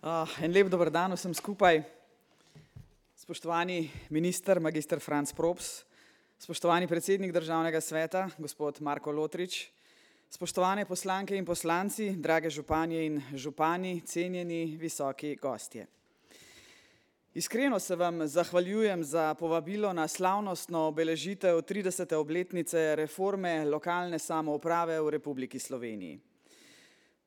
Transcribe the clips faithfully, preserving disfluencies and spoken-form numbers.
Uh, en lep dober dan vsem skupaj. Spoštovani minister, magister Franc Props, spoštovani predsednik Državnega sveta, gospod Marko Lotrič, spoštovane poslanke in poslanci, drage županje in župani, cenjeni visoki gostje. Iskreno se vam zahvaljujem za povabilo na slavnostno obeležitev tridesete obletnice reforme lokalne samouprave v Republiki Sloveniji.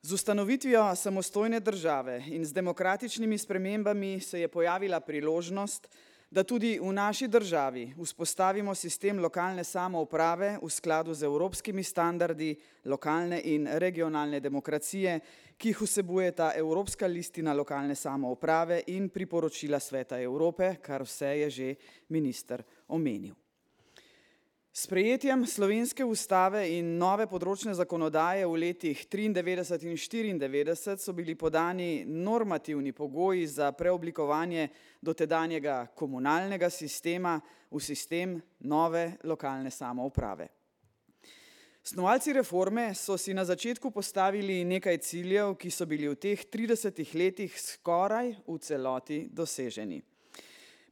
Z ustanovitvijo samostojne države in z demokratičnimi spremembami se je pojavila priložnost, da tudi v naši državi vzpostavimo sistem lokalne samouprave v skladu z evropskimi standardi lokalne in regionalne demokracije, ki jih vsebujeta Evropska listina lokalne samouprave in priporočila Sveta Evrope, kar vse je že minister omenil. S sprejetjem slovenske ustave in nove področne zakonodaje v letih triindevetdeset in štiriindevetdeset so bili podani normativni pogoji za preoblikovanje dotedanjega komunalnega sistema v sistem nove lokalne samouprave. Snovalci reforme so si na začetku postavili nekaj ciljev, ki so bili v teh tridesetih letih skoraj v celoti doseženi.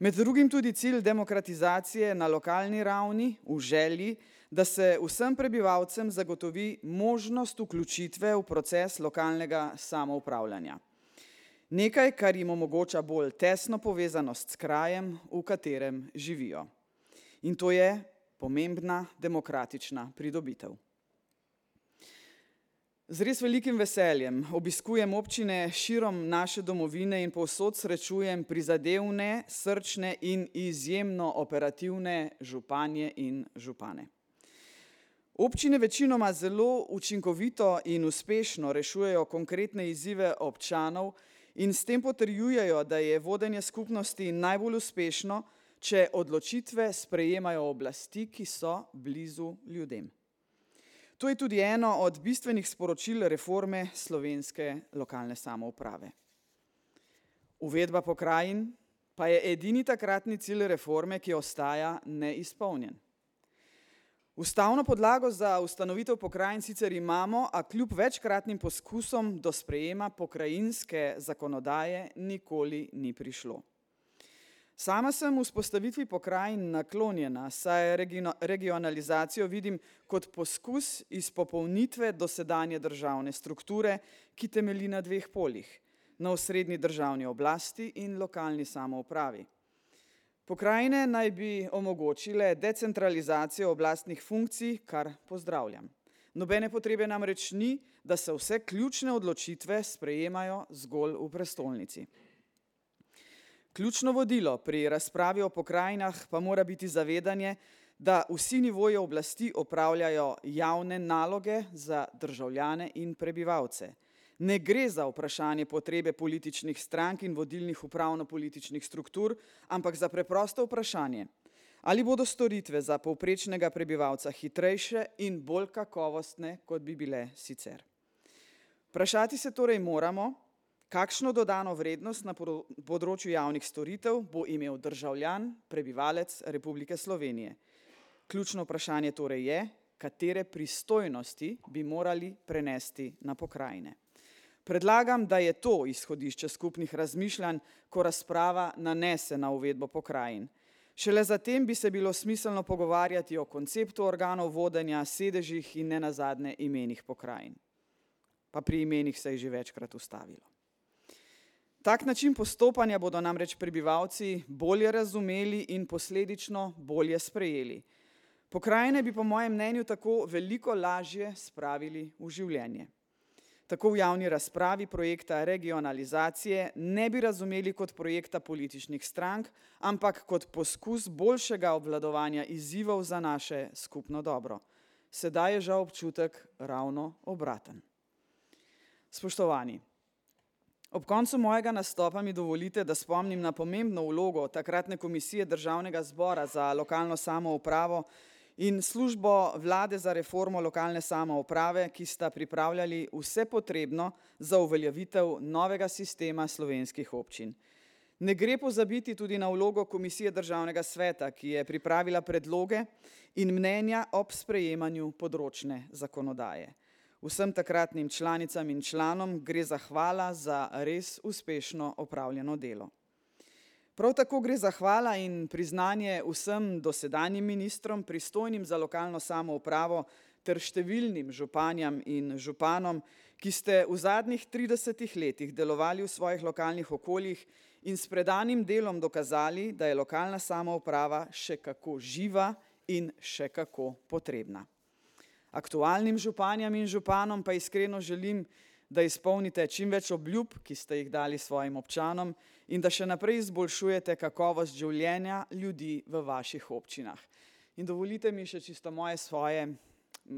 Med drugim tudi cilj demokratizacije na lokalni ravni v želji, da se vsem prebivalcem zagotovi možnost vključitve v proces lokalnega samoupravljanja. Nekaj, kar jim omogoča bolj tesno povezanost s krajem, v katerem živijo. In to je pomembna demokratična pridobitev. Z res velikim veseljem obiskujem občine širom naše domovine in povsod srečujem prizadevne, srčne in izjemno operativne županje in župane. Občine večinoma zelo učinkovito in uspešno rešujejo konkretne izzive občanov in s tem potrjujejo, da je vodenje skupnosti najbolj uspešno, če odločitve sprejemajo oblasti, ki so blizu ljudem. To je tudi eno od bistvenih sporočil reforme slovenske lokalne samouprave. Uvedba pokrajin pa je edini takratni cilj reforme, ki ostaja neizpolnjen. Ustavno podlago za ustanovitev pokrajin sicer imamo, a kljub večkratnim poskusom do sprejema pokrajinske zakonodaje nikoli ni prišlo. Sama sem vzpostavitvi pokrajin naklonjena, saj regionalizacijo vidim kot poskus izpopolnitve dosedanje državne strukture, ki temelji na dveh poljih, na osrednji državni oblasti in lokalni samoupravi. Pokrajine naj bi omogočile decentralizacijo oblastnih funkcij, kar pozdravljam. Nobene potrebe namreč ni, da se vse ključne odločitve sprejemajo zgolj v prestolnici. Ključno vodilo pri razpravi o pokrajinah pa mora biti zavedanje, da vsi nivoji oblasti opravljajo javne naloge za državljane in prebivalce. Ne gre za vprašanje potrebe političnih strank in vodilnih upravno-političnih struktur, ampak za preprosto vprašanje, ali bodo storitve za povprečnega prebivalca hitrejše in bolj kakovostne, kot bi bile sicer. Vprašati se torej moramo, kakšno dodano vrednost na področju javnih storitev bo imel državljan, prebivalec Republike Slovenije. Ključno vprašanje torej je, katere pristojnosti bi morali prenesti na pokrajine. Predlagam, da je to izhodišče skupnih razmišljanj, ko razprava nanese na uvedbo pokrajin. Šele zatem bi se bilo smiselno pogovarjati o konceptu organov vodenja, sedežih in nenazadnje imenih pokrajin. Pa pri imenih se je že večkrat ustavilo. Tak način postopanja bodo namreč prebivalci bolje razumeli in posledično bolje sprejeli. Pokrajine bi po mojem mnenju tako veliko lažje spravili v življenje. Tako v javni razpravi projekta regionalizacije ne bi razumeli kot projekta političnih strank, ampak kot poskus boljšega obvladovanja izzivov za naše skupno dobro. Sedaj je žal občutek ravno obraten. Spoštovani, ob koncu mojega nastopa mi dovolite, da spomnim na pomembno vlogo takratne komisije Državnega zbora za lokalno samoupravo in službo vlade za reformo lokalne samouprave, ki sta pripravljali vse potrebno za uveljavitev novega sistema slovenskih občin. Ne gre pozabiti tudi na vlogo komisije Državnega sveta, ki je pripravila predloge in mnenja ob sprejemanju področne zakonodaje. Vsem takratnim članicam in članom gre zahvala za res uspešno opravljeno delo. Prav tako gre zahvala in priznanje vsem dosedanjim ministrom, pristojnim za lokalno samoupravo ter številnim županjam in županom, ki ste v zadnjih tridesetih letih delovali v svojih lokalnih okoljih in s predanim delom dokazali, da je lokalna samouprava še kako živa in še kako potrebna. Aktualnim županjam in županom pa iskreno želim, da izpolnite čim več obljub, ki ste jih dali svojim občanom in da še naprej izboljšujete kakovost življenja ljudi v vaših občinah. In dovolite mi še čisto moje svoje,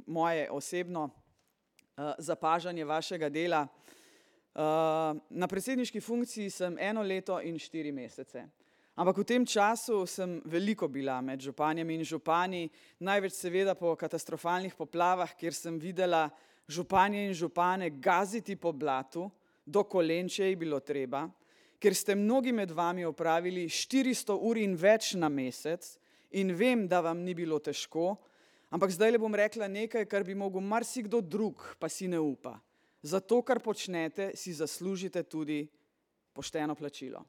moje osebno uh, zapažanje vašega dela. Uh, na predsedniški funkciji sem eno leto in štiri mesece. Ampak v tem času sem veliko bila med županjami in župani, največ seveda po katastrofalnih poplavah, kjer sem videla županje in župane gaziti po blatu, do kolen, če je bilo treba, ker ste mnogi med vami opravili štiristo ur in več na mesec in vem, da vam ni bilo težko, ampak zdaj le bom rekla nekaj, kar bi mogel marsikdo drug, pa si ne upa. Za to, kar počnete, si zaslužite tudi pošteno plačilo.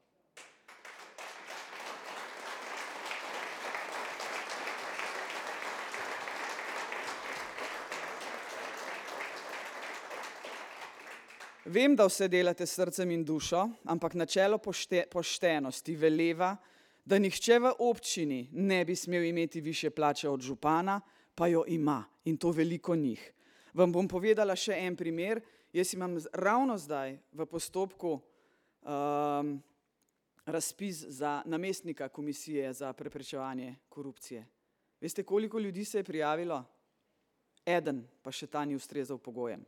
Vem, da vse delate s srcem in dušo, ampak načelo pošte, poštenosti veleva, da nihče v občini ne bi smel imeti višje plače od župana, pa jo ima in to veliko njih. Vam bom povedala še en primer. Jaz imam ravno zdaj v postopku um, razpis za namestnika komisije za preprečevanje korupcije. Veste, koliko ljudi se je prijavilo? Eden, pa še ta ni ustrezal pogojem.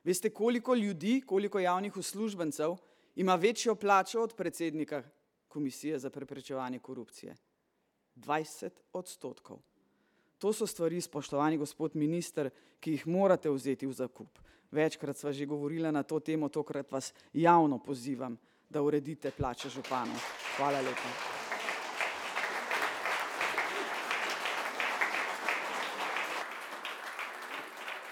Veste, koliko ljudi, koliko javnih uslužbencev ima večjo plačo od predsednika komisije za preprečevanje korupcije? dvajset odstotkov. To so stvari, spoštovani gospod minister, ki jih morate vzeti v zakup. Večkrat sva že govorila na to temo, tokrat vas javno pozivam, da uredite plače županov. Hvala lepa.